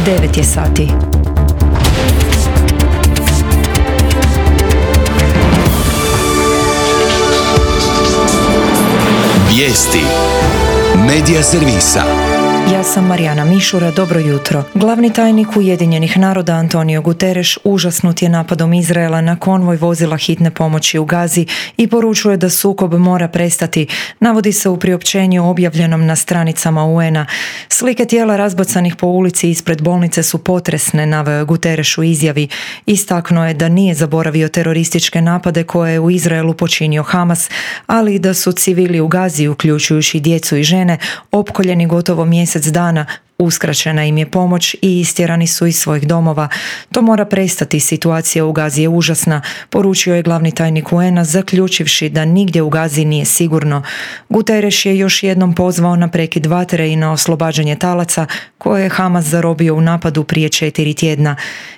9 je sati. Vijesti Medija servisa. Ja sam Marijana Mišura, dobro jutro. Glavni tajnik Ujedinjenih naroda Antonio Guterres užasnut je napadom Izraela na konvoj vozila hitne pomoći u Gazi i poručuje da sukob mora prestati, navodi se u priopćenju objavljenom na stranicama UN-a. Slike tijela razbacanih po ulici ispred bolnice su potresne, naveo je Guterres u izjavi. Istaknuo je da nije zaboravio terorističke napade koje je u Izraelu počinio Hamas, ali i da su civili u Gazi, uključujući djecu i žene, opkoljeni gotovo mjesec dana, uskraćena im je pomoć i istjerani su iz svojih domova. To mora prestati, situacija u Gazi je užasna, poručio je glavni tajnik UN-a, zaključivši da nigdje u Gazi nije sigurno. Guterres je još jednom pozvao na prekid vatre i na oslobađanje talaca koje je Hamas zarobio u napadu prije 4 tjedna.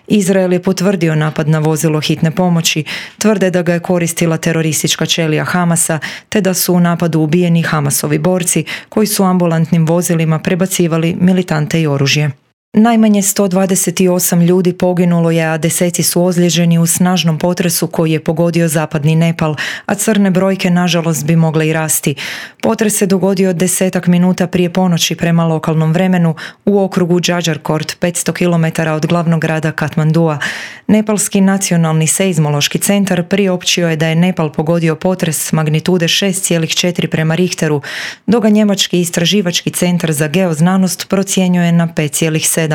Izrael je potvrdio napad na vozilo hitne pomoći, tvrde da ga je koristila teroristička ćelija Hamasa, te da su u napadu ubijeni Hamasovi borci koji su ambulantnim vozilima prebacivali militante i oružje. Najmanje 128 ljudi poginulo je, a deseci su ozlijeđeni u snažnom potresu koji je pogodio zapadni Nepal, a crne brojke nažalost bi mogle i rasti. Potres se dogodio 10 minuta prije ponoći prema lokalnom vremenu u okrugu Džadžarkort, 500 km od glavnog grada Katmandua. Nepalski nacionalni seizmološki centar priopćio je da je Nepal pogodio potres magnitude 6,4 prema Richteru, dok ga njemački istraživački centar za geoznanost procjenjuje na 5,7.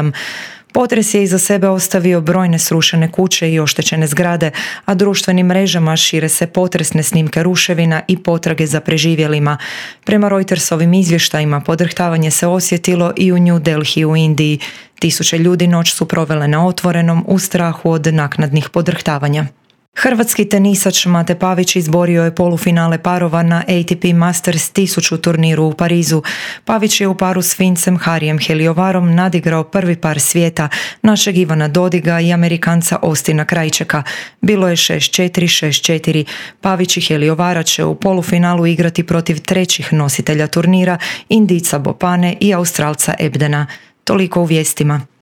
Potres je iza sebe ostavio brojne srušene kuće i oštećene zgrade, a društvenim mrežama šire se potresne snimke ruševina i potrage za preživjelima. Prema Reutersovim izvještajima podrhtavanje se osjetilo i u New Delhi u Indiji. Tisuće ljudi noć su provele na otvorenom u strahu od naknadnih podrhtavanja. Hrvatski tenisač Mate Pavić izborio je polufinale parova na ATP Masters 1000 turniru u Parizu. Pavić je u paru s Fincem Harijem Heliovarom nadigrao prvi par svijeta, našeg Ivana Dodiga i Amerikanca Austina Krajčeka. Bilo je 6-4, 6-4. Pavić i Heliovara će u polufinalu igrati protiv trećih nositelja turnira, Indijca Bopane i Australca Ebdena. Toliko u vijestima.